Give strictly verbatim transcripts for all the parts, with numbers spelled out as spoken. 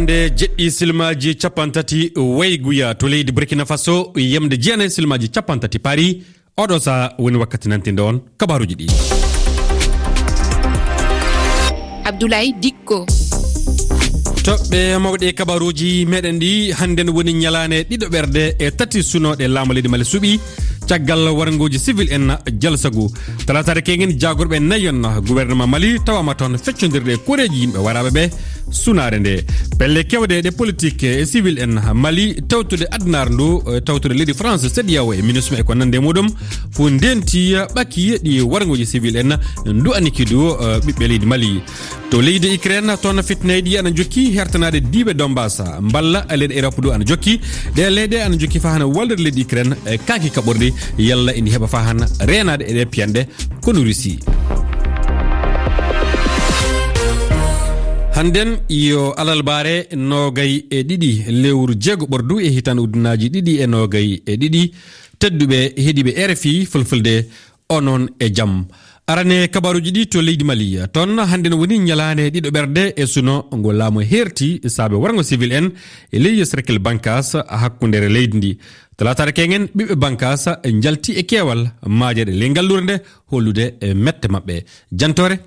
Ɗe jeɗɗi silmaaji capanɗe tati wayguya to leydi Burkina Faso, yamde jeenayi silmaaji capanɗe tati paari. Oɗo saha woni wakkati nantinde on kabaaruuji ɗi. Abdoulaye Dikko. Toɓɓe mawɗe kabaaruuji meɗen ɗi, hannden woni ñalaande ɗiɗo ɓerde e tati sunooɗe laamu leydi Mali suɓi. Caggal warngooji civil en jalsagu, talaataare keñen, jaagorɓe nayon gouvernement Mali tawaama toon feccondirde e koreeji yimɓe waraaɓe ɓe sunaare nde. Pelle kewɗe ɗe politique e civil en Mali, tawtude addunaare ndu, e tawtude leydi France, CEDEAO e MINUSMA e ko nande e muɗum, fof ndenti ɓaki ɗi warngooji civil en ndu aniki du, eh, ɓiɓɓe leydi Mali. To leydi Ukraine, toon fitnayɗi ana jokki hertanaade diiwe Donbass, mballa leyɗe Europe du ana jokki. Ɗe leyɗe ana jokki faa hana wallira leydi Ukraine, eh, kaaki kaɓorɗi, yalla ina heɓa faa hana reenaade e ɗe piyanɗe kono Russie. Hannden yo alalbaare noogay e ɗiɗi lewru jeego ɓordu e hitaande ujunnaaji ɗiɗi e noogay e ɗiɗi. Tedduɓe heɗiiɓe R F I Fulfulde, onon e jam. Arane kabaaruuji ɗi to leydi Mali. Toon hannden woni ñalaande ɗiɗo ɓerde e suno ngo laamu heerti saabe warngo civil en e ley cercle Bankas hakkundeere leydi ndi. Talaataare keñen, ɓiɓɓe Bankas njalti e keewal maajeede ley ngalluure nde hollude e mette maɓɓe. Jantoore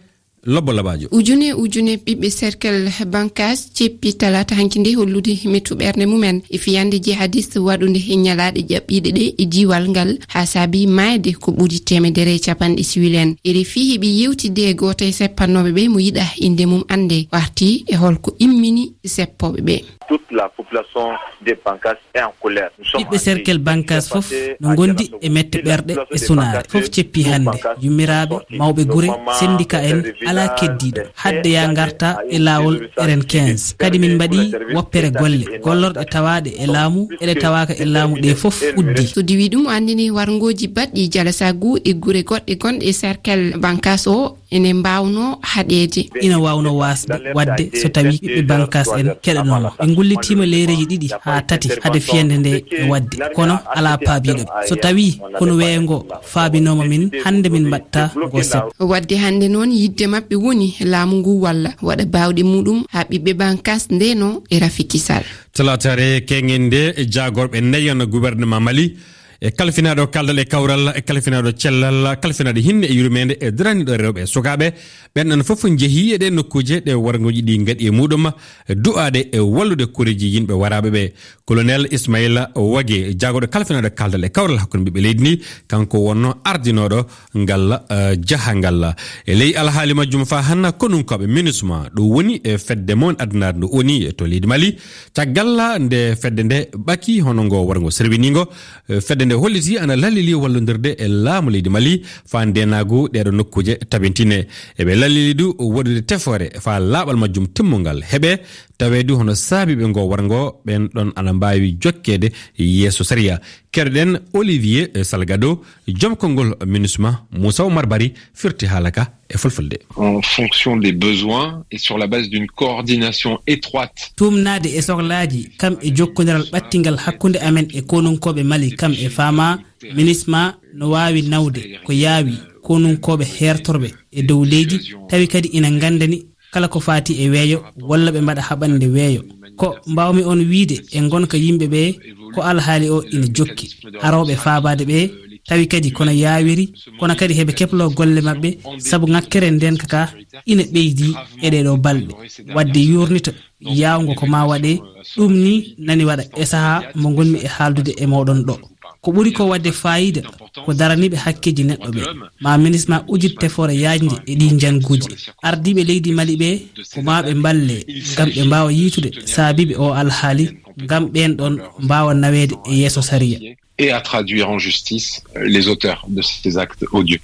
Lobbo Labaajo. Ujune ujune ɓiɓɓe cercle Bankas ceppi talaata hanki nde hollude mettu ɓernde mumen e fiyande jihadiste waɗunde e ñalaaɗe ƴaɓɓiiɗe ɗe e diiwal ngal, haa saabi maayde ko ɓuri teemedere e capanɗe siwil en. R F I heɓi yewtidde e gooto e seppannooɓe ɓe mo yiɗaa innde mum annde, warti e holko immini seppooɓe ɓe. Toute la population de Bankas est en colère. Ɓiɓɓe cercle Bankas fof no ngondi e mette ɓerɗe e sunaare. Fof ceppi hannde. Yummiraaɓe, mawɓe gure, syndicat en, alaa keddiiɗo. Hadde ya ngarta e laawol R N quinze. Kadi min mbaɗi woppere golle. Gollorɗe tawaaɗe e laamu, eɗe tawaaka e laamu ɗe fof uddi. So diwi ɗum, anndini warngooji baɗɗi jalasagu e gure goɗɗe gonɗe e cercle Bankas o. Ene mbaawnoo haɗeede. Ina waawnoo waasde waɗde so tawii ɓiɓɓe Bankas en keɗanooma. Ɓe ngullitiima leereeji ɗiɗi haa tati hade fiyannde nde e waɗde, kono alaa paabiiɗo ɓe. So tawii kono weeyo ngo faabinooma min, hannde min mbaɗta ngo sep. Waɗde hannde noon, yiɗde maɓɓe woni laamu ngu walla waɗa baawɗe muɗum haa ɓiɓɓe Bankas ndeenoo e rafi kisal. Talaataare keñen nde, jaagorɓe nayon gouvernement Mali, e kalfinaaɗo kaldal e kawral, e kalfinaaɗo cellal, kalfinaaɗo hinne e yurmeende, e daraniiɗo rewɓe e sukaaɓe, ɓen ɗon fof njehii e ɗee nokkuuje ɗe warngooji ɗi ngaɗi e muɗum, du'aade e wallude koreeji yimɓe waraaɓe ɓe. Colonel Ismaila Wage, jaagorɗo kalfinaaɗo kaldal e kawral hakkunde ɓiɓɓe leydi ndi, kanko wonnoo ardinooɗo ngal, eh, jahangal. E ley alhaali majjum, faa hannde konunkooɓe MINUSMA, ɗo woni e fedde mawne addunaare nde ONI to leydi Mali, caggal nde fedde nde ɓaki hono ngo warngo serwiniingo, eh, fedde nde holliti ana lallili wallondirde e laamu leydi Mali faa ndeenaagu ɗeeɗo nokkuuje tabintine. Eɓe lallili du waɗude tefoore faa laaɓal majjum timmungal heɓe, tawee du hono saabiiɓe ngo warngo ɓen ɗon ana mbaawi jokkeede yeeso sariya. Keɗoɗen Olivier Salgado, joom konngol MINUSMA, Moussa Oumar Bari firti haala ka e fulfulde. En fonction des besoins et sur la base d'une coordination étroite. Tuumnaade e sohlaaji kam e jokkondiral ɓattingal hakkunde amen e konunkooɓe Mali kam e fama, MINUSMA no waawi nawde ko yaawi konunkooɓe heertorɓe e dow leydi, tawi kadi ina nganndani kala ko faati e weeyo, walla ɓe mbaɗa haɓande weeyo. Ko mbaawmi on wiyde e ngonka yimɓe ɓe, ko alhaali o ina jokki. Arooɓe faabaade ɓe, tawi kadi kono yaawiri, kono kadi heɓe kebloo golle maɓɓe, sabu ŋakkere ndeenka ka ina ɓeydi e ɗee ɗoo balɗe. Waɗde yuurnito yaawngo ko maa waɗe, ɗum ni nani waɗa e sahaa mo ngonmi e haaldude e mooɗon ɗo. Ko ɓuri ko waɗde faayiida ko daraniiɓe hakkeeji neɗɗo ɓe. Ma MINUSMA ujit tefoore yaajnde e ɗii njannguuji. Ardiiɓe leydi Mali ɓe, ko maa ɓe mballe ngam ɓe mbaawa yiytude saabiiɓe oo alhaali, ngam ɓeen ɗoon mbaawa naweede e yeeso sariya. Et à traduire en justice les auteurs de ces actes odieux.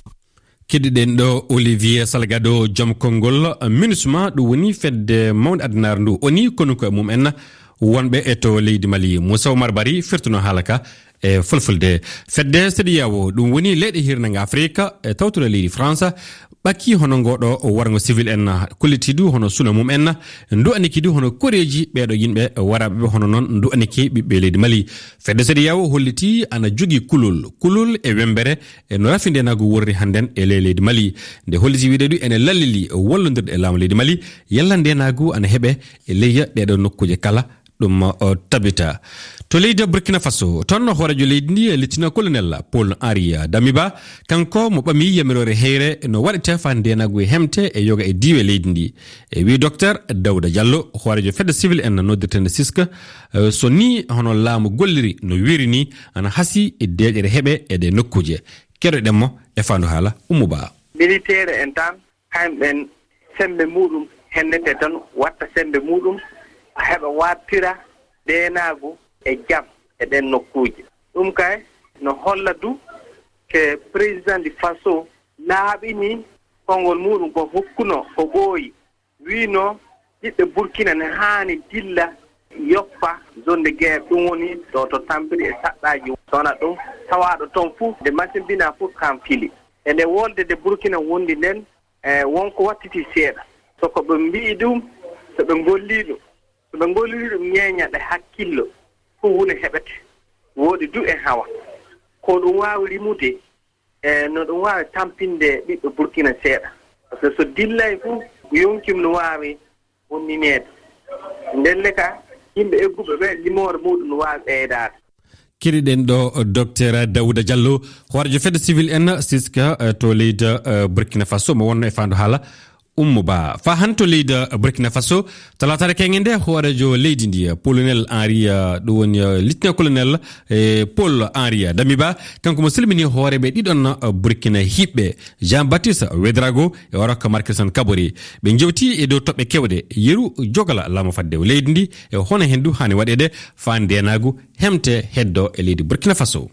Keɗiɗen ɗo Olivier Salgado, joom konngol MINUSMA, ɗum woni fedde mawnde addunaare ndu ONI, kono ko e mum en wonɓe e to leydi Mali. Moussa Oumar Bari firtuno haala ka e fulfulde. Fedde CEDEAO, ɗum woni leyɗe hirnange Afrika, e tawtude leydi France, ɓakki hono ngoɗo warngo civil en, kolliti du hono suna mum en, ndu'aniki du hono koreeji ɓeeɗo yimɓe waraaɓe ɓe, hono noon ndu'aniki ɓiɓɓe leydi Mali. Fedde C E D E A O holliti ana jogii kulol, kulol e wembere e no rafi ndeenaagu worri hannden e ley leydi Mali. Nde holliti wiide du ene lallili wallondirde e laamu leydi Mali, yalla ndeenaagu ana heɓe e ley ɗeeɗo nokkuuje kala, ɗum o tabita. To leydi Burkina Faso, toon hooreejo leydi ndi, Lieutenant Colonel Paul Henri Damiba, kanko mo ɓami yamiroore heyre no waɗete faa ndeenaagu e hemte e yoga e diiwe leydi ndi. E wii Docteur Daouda Diallo, hooreejo fedde civil en noddirteende siska, eh, so ni hono laamu golliri no wiiri ni, ana hasi e deeƴere heɓe e ɗe nokkuuje. Keɗoɗen mo e faandu haala Ummu Ba. Militeer en tan, kamɓen semmbe muɗum hennete tan, watta semmbe muɗum, heɓa wartira ndeenaagu e jam e ɗen nokkuuje. Ɗum kay no holla du ke président du Faso laaɓini konngol muɗum ko hokkuno ko ɓooyi. Wiino ɓiɓɓe Burkina ne haani dilla yoppa zone de guerre, ɗum woni ɗo to tampiri e saɗɗaaji. Sona ɗum tawaaɗo toon fuu, nde masimbina fuu kam fili. E nde wolde de Burkina wondi nden, e wonko wattiti seeɗa. So ko ɓe mbi'i ɗum, so ɓe ngollii ɗum, so ɓe ngollii ɗum ñeeña ɓe hakkillo, ko woni heɓete. Wooɗi du e hawa. Ko ɗum waawi rimude, e no ɗum waawi tampinde ɓiɓɓe Burkina seeɗa. Par ce que so dillay fuu, yonkim no waawi bonnineede. Ndelle ka, yimɓe egguɓe ɓe, limoore muɗum no waawi ɓeydaade. Keɗiɗen ɗo Docteur Daouda Diallo, hooreejo fedde civil en siska, eh, to leydi, eh, Burkina Faso, mo wonno e faandu haala Ummu Ba. Faa han to leydi Burkina Faso, talaataare keŋŋe nde, hooreejo leydi ndi, Colonel Henri, eh, ɗum woni, eh, Lieutenant Colonel, eh, Paul Henri Damiba, kanko mo salmini hooreeɓe ɗiɗon, eh, Burkina hiɓɓe, Jean-Baptiste Ouedraogo e Oroka Markelson Kabore. Ɓe njewti e dow toɓɓe kewɗe, yeru jogala laamu fadde leydi ndi, e hono hen du haani waɗeede faa ndeenaagu hemte heddo e leydi Burkina Faso.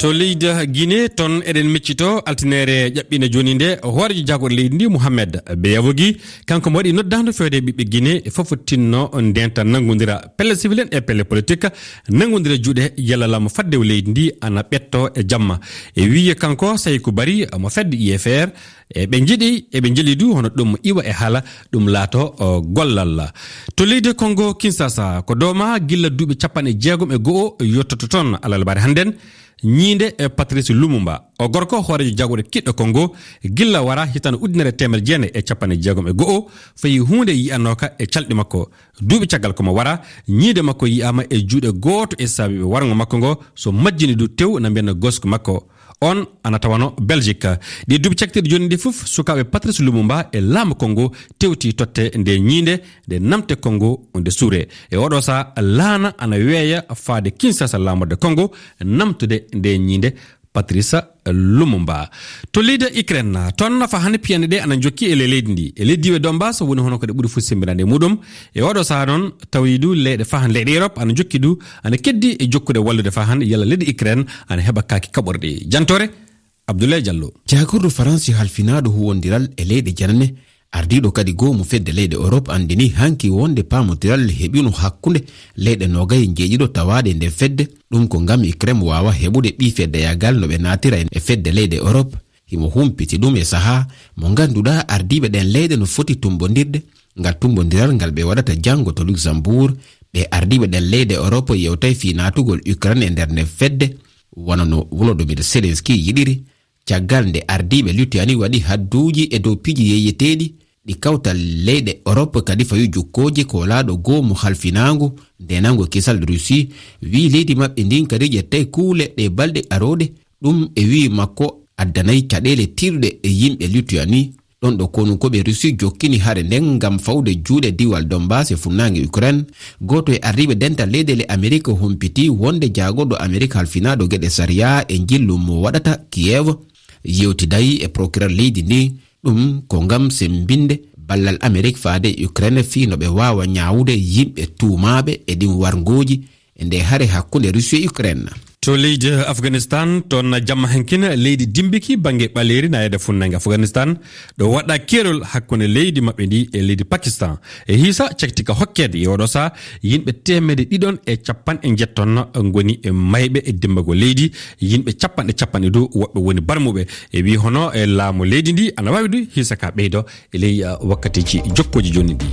To leydi Guinée, toon eɗen miccito altineere ƴaɓɓiinde jooni nde, hooreejo jaagorɗe leydi ndi, Mohamed Beyavogi, kanko mo waɗi noddaandu fewde ɓiɓɓe Guinée, fof tinno ndenta nanngondira pelle civil en e pelle politique, nanngondira juuɗe yalla laamu fadde leydi ndi ana ɓetto e jamma. E wiye kanko Saïkou Barry mo fedde I F R, e ɓe njiɗi, e ɓe njeli du hono ɗum iwa e haala, ɗum laato, o, gollal. To leydi Congo Kinshasa, ko dooma gilla duuɓi capanɗe jeegom e go'o yottoto toon, alarbaare hannden, ñiinde e Patrice Lumumba. O gorko hooreejo jaagorɗe kiɗɗo Congo, gilla wara hitaande ujunere teemedere jeenayi e capanɗe jeegom e go'o, fayi huunde yi'anooka e calɗi makko. Duuɓi caggal ko mo wara, ñiinde makko yi'aama e juuɗe gooto e saabiiɓe warngo makko ngo, so majjini du tew na mbiyanno gosku makko. On ana tawano Belgique. Ɗi duuɓi caktirɗi jooni ndi fof, sukaaɓe Patrice Lumumba e laamu Congo tewti totte nde ñiinde, nde namte Congo nde suure. E oɗo saha laana ana weeya faade Kinshasa laamorde Congo, namtude nde ñiinde Patrice Lumumba. To leydi Ukraine, toon nafa hannde piyanɗe ɗe ana jokki e ley leydi ndi. E leydi diiwe Donbass woni hono ko ɗe ɓuri fof semmbinaade e muɗum. E oɗo saha noon, tawi du leyɗe fahan leyɗe Europe ana jokki du, ana keddi e jokkude wallude fahan yalla leydi Ukraine ana heɓa kaaki kaɓorɗi. Jantore, Abdoulaye Diallo. Jaagorɗo Faransi halfinaaɗo huwondiral e leyɗe janane, ardiiɗo kadi goomu fedde leyɗe Europe anndini hanki wonde paamondiral heɓino hakkunde leyɗe noogay njeeɗiɗo tawaaɗe e nder fedde. Ɗum ko ngam Ukraine waawa heɓude ɓii feddeyagal no ɓe naatira e fedde leyɗe Europe. Himo humpiti ɗum e sahaa mo ngannduɗaa ardiiɓe ɗen leyɗe no foti tumbondirde. Ngal tumbondiral ngal ɓe waɗata janngo to Luxembourg, ɓe ardiiɓe ɗen leyɗe Europe yewtay fii naatugol Ukraine e nder nden fedde, wano no Volodymyr Zelensky yiɗiri. Caggal nde ardiiɓe Lituanie waɗi hadduuji e dow piiji yeeyeteeɗi ɗi kawtal leyɗe Europe kadi fawi jukkooje, koolaaɗo goomu halfinaangu ndeenango kisal Russie, wii leydi maɓɓe ndin kadi ƴettay kuule ɗe balɗe arooɗe. Ɗum e wii makko addanay caɗeele tiiɗuɗe e yimɓe Lituanie. Ɗon ɗo konunkooɓe Russie jokkini hare nden ngam fawde juuɗe diwal Donbass e funnaange Ukraine. Gooto e ardiiɓe dental leyɗeele Amerik humpiti wonde jaagorɗo Amerik halfinaaɗo geɗe sariya e njillu mo waɗata Kiev yewtiday e procureur leydi ndin. Ɗum ko ngam semmbinde ballal Amerik faade e Ukraine fii no ɓe waawa ñaawude yimɓe tuumaaɓe e ɗin warngooji e nde hare hakkunde Russie e Ukraine. To leydi Afganistan, toon jamma hankin leydi dimbiki bannge ɓaleeri nayeede funnange Afganistan, ɗo waɗa keerol hakkunde leydi maɓɓe ndi e leydi Pakistan. E hiisa cakti ka hokkeede e oɗo saa, yimɓe teemede ɗiɗon e capanɗe njetton ngoni e mayɓe e dimmbago leydi, yimɓe capanɗe capanɗe dow woɓɓe woni barmuɓe. E wi hono e laamu leydi ndi ana wawi du hiisa ka ɓeydo e ley, uh, wakkatiji jokkoji joni ndi.